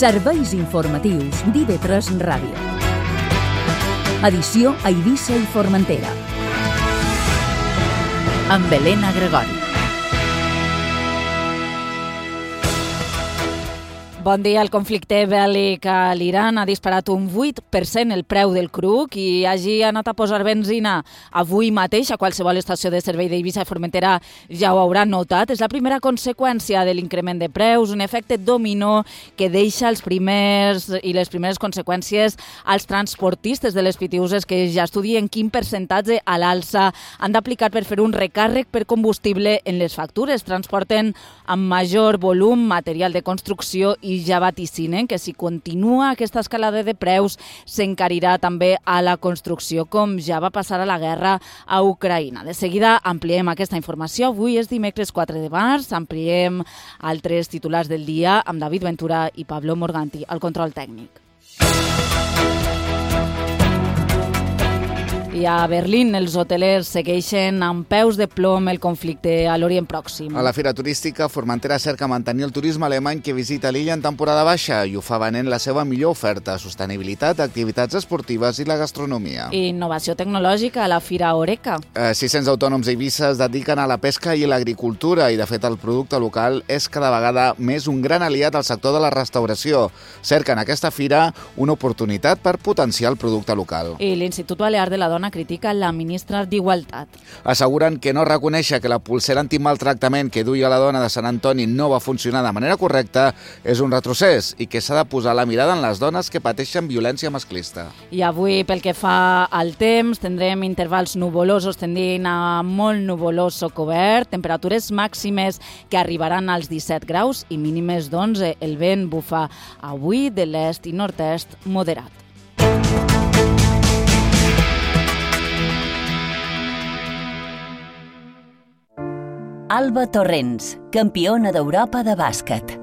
Serveis informatius d'IV3 Ràdio. Edició a Eivissa i Formentera. Amb Helena Gregori. Bon dia. El conflicte bèl·lic a l'Iran ha disparat un 8% el preu del cru. Qui hagi anat a posar benzina avui mateix a qualsevol estació de servei d'Eivissa i Formentera ja ho haurà notat. És la primera conseqüència de l'increment de preus, un efecte dominó que deixa les primeres conseqüències als transportistes de les pitiuses, que ja estudien quin percentatge a l'alça han d'aplicar per fer un recàrrec per combustible en les factures. Transporten amb major volum material de construcció i ja vaticinen que si continua aquesta escalada de preus s'encarirà també a la construcció, com ja va passar a la guerra a Ucraïna. De seguida ampliem aquesta informació. Avui és dimecres 4 de març. Ampliem altres titulars del dia amb David Ventura i Pablo Morganti al control tècnic. I a Berlín els hotelers segueixen amb peus de plom el conflicte a l'Orient Pròxim. A la fira turística, Formentera cerca mantenir el turisme alemany que visita l'illa en temporada baixa i ho fa venent la seva millor oferta: sostenibilitat, activitats esportives i la gastronomia. I innovació tecnològica a la fira Oreca. 600 autònoms a Eivissa es dediquen a la pesca i l'agricultura i, de fet, el producte local és cada vegada més un gran aliat al sector de la restauració. Cerquen aquesta fira una oportunitat per potenciar el producte local. I l'Institut Balear de la Dona critica la ministra d'Igualtat. Asseguren que no reconèixer que la pulsera antimaltractament que duia la dona de Sant Antoni no va funcionar de manera correcta és un retrocés i que s'ha de posar la mirada en les dones que pateixen violència masclista. I avui, pel que fa al temps, tindrem intervals nuvolosos tendint a molt nuvolós o cobert, temperatures màximes que arribaran als 17 graus i mínimes d'11. El vent bufa avui de l'est i nord-est moderat. Alba Torrents, campiona d'Europa de bàsquet.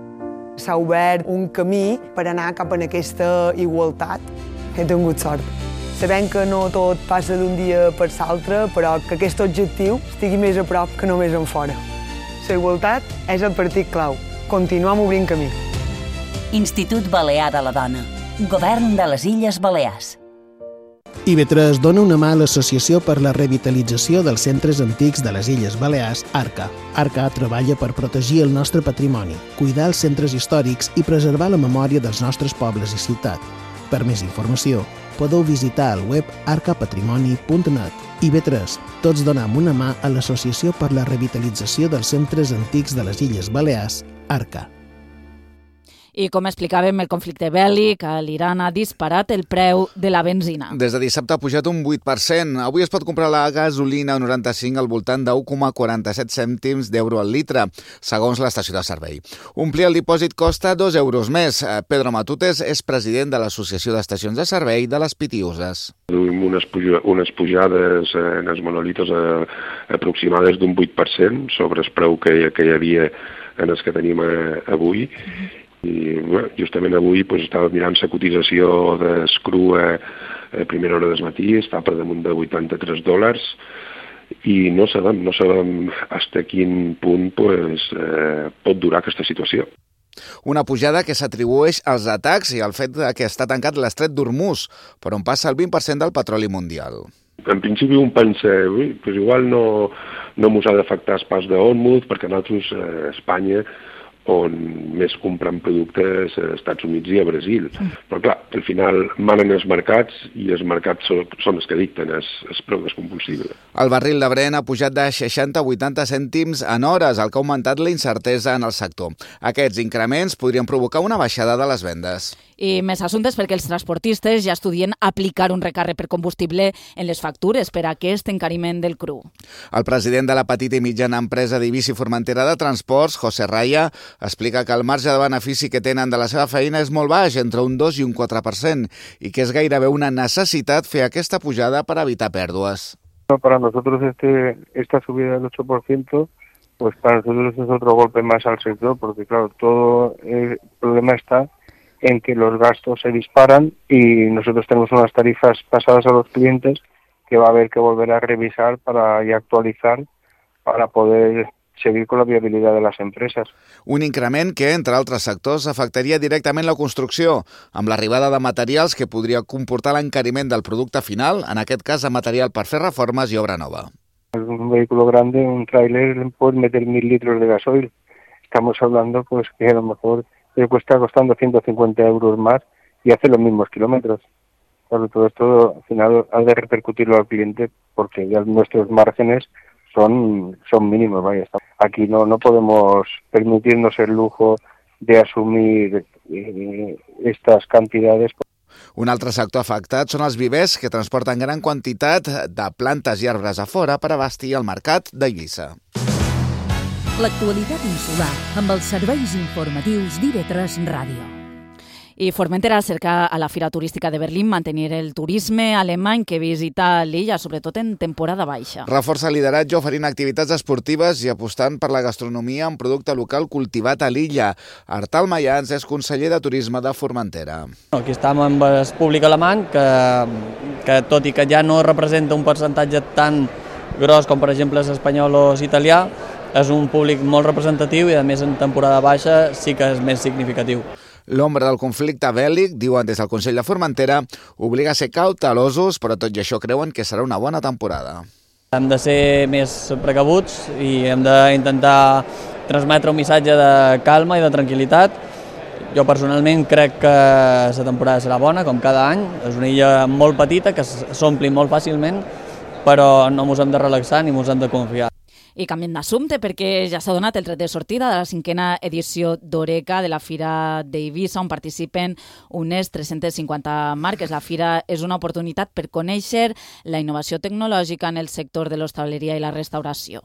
S'ha obert un camí per anar cap a aquesta igualtat. He tingut sort. Sabem que no tot passa d'un dia per l'altre, però que aquest objectiu estigui més a prop que només en fora. La igualtat és el partit clau. Continuem obrint camí. Institut Balear de la Dona. Govern de les Illes Balears. IV3 dona una mà a l'Associació per la Revitalització dels Centres Antics de les Illes Balears, ARCA. ARCA treballa per protegir el nostre patrimoni, cuidar els centres històrics i preservar la memòria dels nostres pobles i ciutat. Per més informació, podeu visitar el web arcapatrimoni.net. IV3, tots donem una mà a l'Associació per la Revitalització dels Centres Antics de les Illes Balears, ARCA. I com explicàvem, el conflicte bèl·lic a l'Iran ha disparat el preu de la benzina. Des de dissabte ha pujat un 8%. Avui es pot comprar la gasolina 95 al voltant de 1,47 cèntims d'euro al litre, segons l'estació de servei. Omplir el dipòsit costa 2 euros més. Pedro Matutes és president de l'Associació d'Estacions de Servei de les Pitiuses. Duim unes pujades en els monolitos aproximades d'un 8% sobre el preu que hi havia en els que tenim avui. I justament avui estava mirant la cotització d'escru a primera hora del matí, està per damunt de $83 i no sabem fins a quin punt pot durar aquesta situació. Una pujada que s'atribueix als atacs i al fet que està tancat l'estret d'Hormuz, per on passa el 20% del petroli mundial. En principi un pensa, igual no mos ha d'afectar el pas d'Hormuz, perquè nosaltres a Espanya on més compren productes a Estats Units i a Brasil. Però clar, al final manen els mercats i els mercats són els que dicten el preu del combustible. El barril de Brent ha pujat de 60 a 80 cèntims en hores, el que ha augmentat la incertesa en el sector. Aquests increments podrien provocar una baixada de les vendes. I més assumptes perquè els transportistes ja estudien aplicar un recàrrec per combustible en les factures per a aquest encariment del cru. El president de la petita i mitjana empresa d'Eivissa i Formentera de Transports, José Raya, explica que el marge de benefici que tenen de la seva feina és molt baix, entre un 2 i un 4%, i que és gairebé una necessitat fer aquesta pujada per evitar pèrdues. Para nosotros esta subida del 8%, pues para nosotros es otro golpe más al sector, porque claro, todo el problema está en que los gastos se disparan y nosotros tenemos unas tarifas pasadas a los clientes que va a haber que volver a revisar y actualizar para poder seguir con la viabilidad de las empresas. Un increment que, entre altres sectors, afectaria directament la construcció, amb l'arribada de materials que podria comportar l'encariment del producte final, en aquest cas de material per fer reformes i obra nova. Un vehículo grande, un tráiler, puede meter 1.000 litros de gasoil. Estamos hablando pues que a lo mejor le cuesta costando 150 euros más y hace los mismos kilómetros. Claro, todo esto al final ha de repercutirlo al cliente porque ya nuestros márgenes son mínimos. Vaya. Aquí no podemos permitirnos el lujo de asumir estas cantidades. Un altre sector afectat són els vivers que transporten gran quantitat de plantes i arbres a fora per abastir el mercat d'Eivissa. L'actualitat insular amb els serveis informatius d'IV3 Ràdio. I Formentera cerca a la Fira Turística de Berlín mantenir el turisme alemany que visita l'illa, sobretot en temporada baixa. Reforça lideratge oferint activitats esportives i apostant per la gastronomia amb producte local cultivat a l'illa. Artal Mayans és conseller de Turisme de Formentera. Aquí estem amb el públic alemany, que tot i que ja no representa un percentatge tan gros com per exemple l'espanyol o l'italià, és un públic molt representatiu i a més en temporada baixa sí que és més significatiu. L'ombra del conflicte bèl·lic, diuen des del Consell de Formentera, obliga a ser cautelosos, però tot i això creuen que serà una bona temporada. Hem de ser més precabuts i hem d'intentar transmetre un missatge de calma i de tranquil·litat. Jo personalment crec que la temporada serà bona, com cada any. És una illa molt petita, que s'ompli molt fàcilment, però no ens hem de relaxar ni ens hem de confiar. I canviem d'assumpte perquè ja s'ha donat el tret de sortida de la 5a edició d'Oreca de la Fira d'Eivissa, on participen unes 350 marques. La fira és una oportunitat per conèixer la innovació tecnològica en el sector de l'hostaleria i la restauració.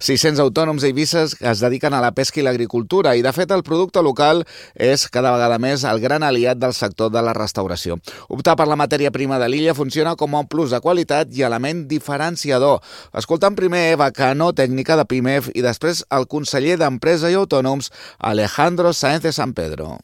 600 autònoms a Eivissa es dediquen a la pesca i l'agricultura i, de fet, el producte local és cada vegada més el gran aliat del sector de la restauració. Optar per la matèria prima de l'illa funciona com un plus de qualitat i element diferenciador. Escoltant primer Eva Cano, tècnica de PIMEF, i després el conseller d'Empresa i Autònoms, Alejandro Sáenz de San Pedro.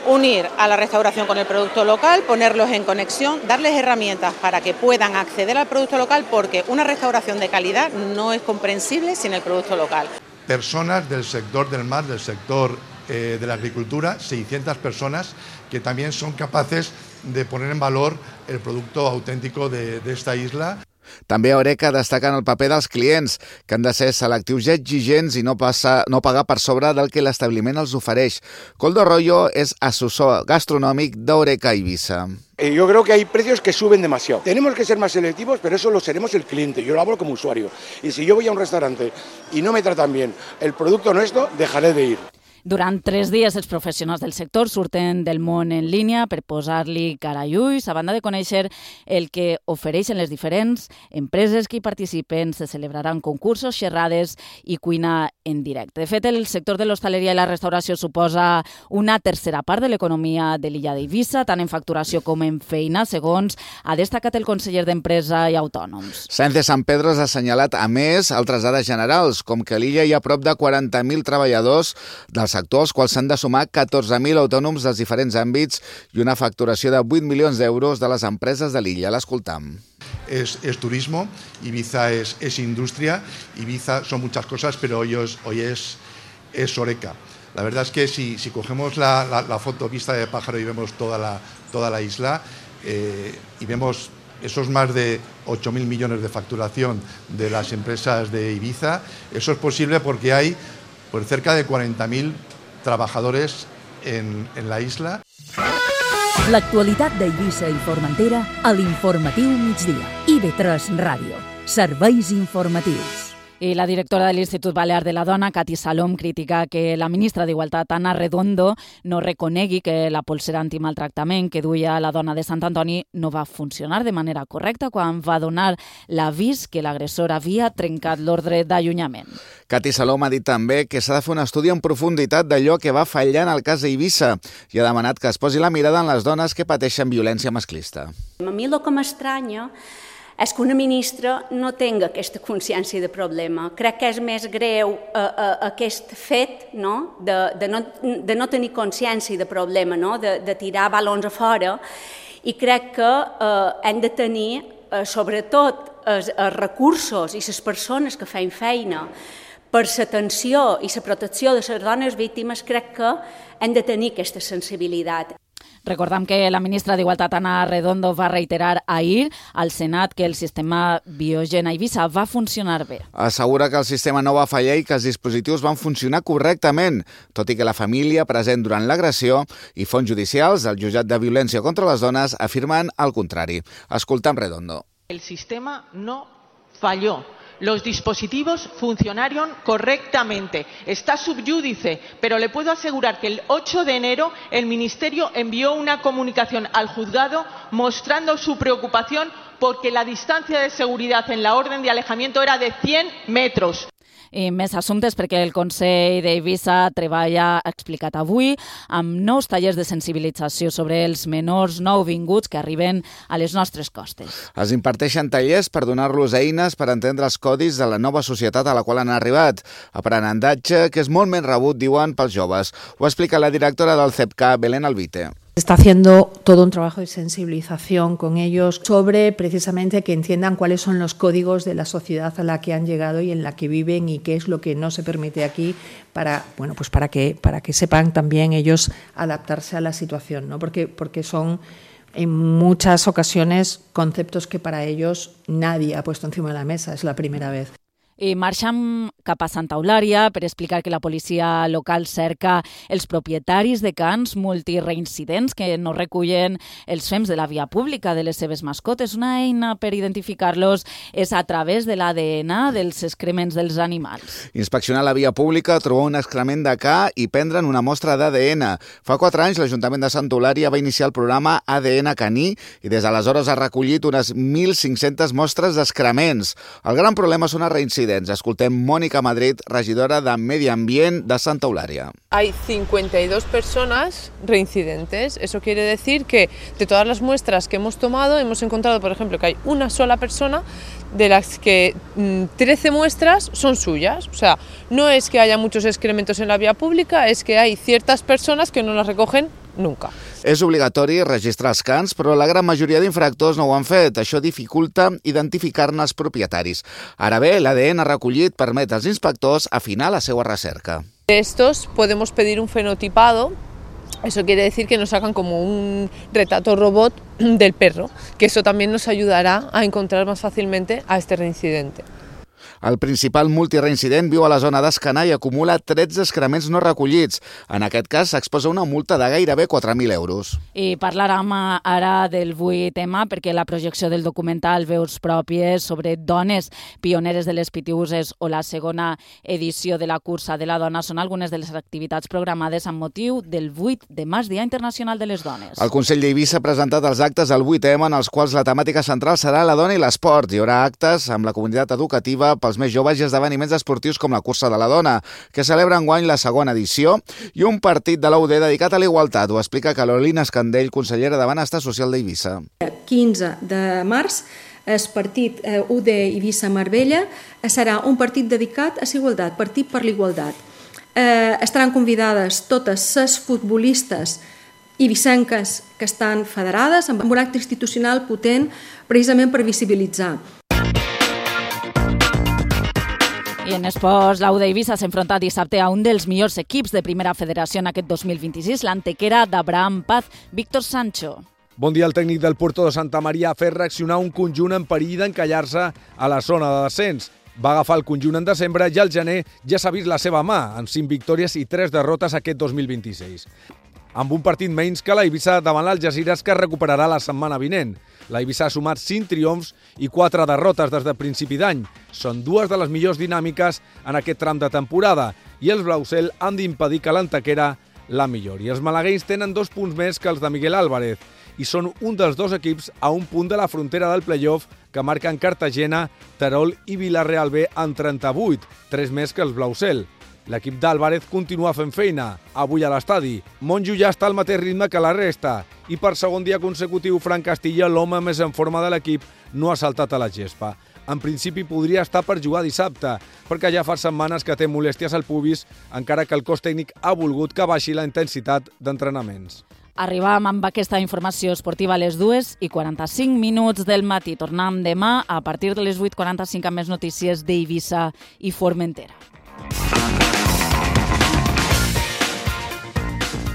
Unir a la restauración con el producto local, ponerlos en conexión, darles herramientas para que puedan acceder al producto local, porque una restauración de calidad no es comprensible sin el producto local. Personas del sector del mar, del sector de la agricultura, 600 personas que también son capaces de poner en valor el producto auténtico de esta isla. També a Oreca destaquen el paper dels clients, que han de ser selectius i exigents i no pagar per sobre del que l'establiment els ofereix. Coldo Arroyo és assessor gastronòmic d'Oreca Eivissa. Yo creo que hay precios que suben demasiado. Tenemos que ser más selectivos, pero eso lo seremos el cliente. Yo lo hablo como usuario. Y si yo voy a un restaurante y no me tratan bien el producto nuestro, dejaré de ir. Durant 3 dies, els professionals del sector surten del món en línia per posar-li cara i ulls, a banda de conèixer el que ofereixen les diferents empreses que hi participen. Se celebraran concursos, xerrades i cuina en directe. De fet, el sector de l'hostaleria i la restauració suposa una tercera part de l'economia de l'illa d'Eivissa, tant en facturació com en feina, segons ha destacat el conseller d'Empresa i Autònoms. Sáenz de San Pedro ha assenyalat, a més, altres dades generals, com que a l'illa hi ha prop de 40.000 treballadors del sector, als quals s'han de sumar 14.000 autònoms dels diferents àmbits i una facturació de 8 milions d'euros de les empreses de l'illa. L'escoltam. Es turismo, Ibiza es industria, Ibiza son muchas cosas, pero hoy es Oreca. La verdad es que si cogemos la foto vista de pájaro y vemos toda la isla y vemos esos más de 8.000 millones de facturación de las empresas de Ibiza, eso es posible porque hay pues cerca de 40.000 trabajadores en la isla. L'actualitat d'Eivissa i Formentera a l'Informatiu Migdia. IB3 Ràdio. Serveis informatius. I la directora de l'Institut Balear de la Dona, Cati Salom, critica que la ministra d'Igualtat, Ana Redondo, no reconegui que la polsera antimaltractament que duia la dona de Sant Antoni no va funcionar de manera correcta quan va donar l'avís que l'agressor havia trencat l'ordre d'allunyament. Cati Salom ha dit també que s'ha de fer un estudi en profunditat d'allò que va fallar en el cas d'Eivissa i ha demanat que es posi la mirada en les dones que pateixen violència masclista. A mi el que m'estranya és que una ministra no tingui aquesta consciència de problema. Crec que és més greu aquest fet de no tenir consciència de problema, de tirar balons a fora, i crec que hem de tenir, sobretot, els recursos i les persones que feien feina per l'atenció i la protecció de les dones víctimes, crec que hem de tenir aquesta sensibilitat. Recordem que la ministra d'Igualtat, Ana Redondo, va reiterar ahir al Senat que el sistema Biogen a Eivissa va funcionar bé. Assegura que el sistema no va fallar i que els dispositius van funcionar correctament, tot i que la família present durant l'agressió i fonts judicials del Jutjat de Violència contra les Dones afirmen el contrari. Escoltem Redondo. El sistema no falló. Los dispositivos funcionaron correctamente. Está subyúdice, pero le puedo asegurar que el 8 de enero el Ministerio envió una comunicación al juzgado mostrando su preocupación porque la distancia de seguridad en la orden de alejamiento era de 100 metros. I més assumptes perquè el Consell d'Eivissa treballa, ha explicat avui, amb nous tallers de sensibilització sobre els menors nouvinguts que arriben a les nostres costes. Es imparteixen tallers per donar-los eines per entendre els codis de la nova societat a la qual han arribat. Aprenentatge que és molt més rebut, diuen, pels joves. Ho explica la directora del CEPCA, Belén Albite. Está haciendo todo un trabajo de sensibilización con ellos sobre precisamente que entiendan cuáles son los códigos de la sociedad a la que han llegado y en la que viven y qué es lo que no se permite aquí para que sepan también ellos adaptarse a la situación, ¿no? Porque son en muchas ocasiones conceptos que para ellos nadie ha puesto encima de la mesa, es la primera vez. I marxem cap a Santa Eulària per explicar que la policia local cerca els propietaris de cans multireincidents que no recullen els fems de la via pública de les seves mascotes. Una eina per identificar-los és a través de l'ADN dels excrements dels animals. Inspeccionar la via pública, trobar un excrement de ca i prendre'n una mostra d'ADN. Fa 4 anys l'Ajuntament de Santa Eulària va iniciar el programa ADN caní i des d'aleshores ha recollit unes 1.500 mostres d'excrements. El gran problema són els reincidents. Escoltem Mónica Madrid, regidora de Medi Ambient de Santa Eulària. Hay 52 personas reincidentes. Eso quiere decir que de todas las muestras que hemos tomado hemos encontrado, por ejemplo, que hay una sola persona de las que 13 muestras son suyas. O sea, no es que haya muchos excrementos en la vía pública, es que hay ciertas personas que no las recogen nunca. És obligatori registrar els cans, però la gran majoria d'infractors no ho han fet. Això dificulta identificar-ne els propietaris. Ara bé, l'ADN recollit permet als inspectors afinar la seva recerca. De estos podemos pedir un fenotipado. Eso quiere decir que nos hagan como un retrato robot del perro, que eso también nos ayudará a encontrar más fácilmente a este reincidente. El principal multireincident viu a la zona d'Escanar i acumula 13 excrements no recollits. En aquest cas s'exposa una multa de gairebé 4.000 euros. I parlarem ara del 8M perquè la projecció del documental Veus pròpies sobre dones pioneres de les Pitiüses o la segona edició de la cursa de la dona són algunes de les activitats programades amb motiu del 8 de març, Dia Internacional de les Dones. El Consell d'Eivissa ha presentat els actes del 8M en els quals la temàtica central serà la dona i l'esport. Hi haurà actes amb la comunitat educativa pels més joves i esdeveniments esportius com la cursa de la dona, que celebra enguany la segona edició, i un partit de la UD dedicat a la igualtat. Ho explica Carolina Escandell, consellera de Benestar Social d'Eivissa. 15 de març, el partit UD Eivissa Marbella serà un partit dedicat a la igualtat, partit per l'igualtat. Estaran convidades totes les futbolistes eivissenques que estan federades amb un acte institucional potent precisament per visibilitzar. I en esports, l'Auda Eivissa s'enfronta dissabte a un dels millors equips de primera federació en aquest 2026, l'Antequera d'Abraham Paz, Víctor Sancho. Bon dia, el tècnic del Puerto de Santa Maria ha fet reaccionar un conjunt en perill d'encallar-se a la zona de descens. Va agafar el conjunt en desembre i al gener ja s'ha vist la seva mà, amb 5 victòries i 3 derrotes aquest 2026. Amb un partit menys que l'Eivissa davant l'Algesires, que recuperarà la setmana vinent. L'Eivissa ha sumat 5 triomfs i 4 derrotes des de principi d'any. Són 2 de les millors dinàmiques en aquest tram de temporada i els blausel han d'impedir que l'Antequera la millori. Els malagueins tenen 2 punts més que els de Miguel Álvarez i són un dels 2 equips a un punt de la frontera del play-off que marquen Cartagena, Terol i Villarreal B en 38, 3 més que els blausel. L'equip d'Álvarez continua fent feina, avui a l'estadi. Monjo ja està al mateix ritme que la resta i per segon dia consecutiu Fran Castilla, l'home més en forma de l'equip, no ha saltat a la gespa. En principi podria estar per jugar dissabte, perquè ja fa setmanes que té molèsties al pubis, encara que el cos tècnic ha volgut que baixi la intensitat d'entrenaments. Arribam amb aquesta informació esportiva a les 2:45 del matí. Tornem demà a partir de les 8:45 amb més notícies d'Eivissa i Formentera.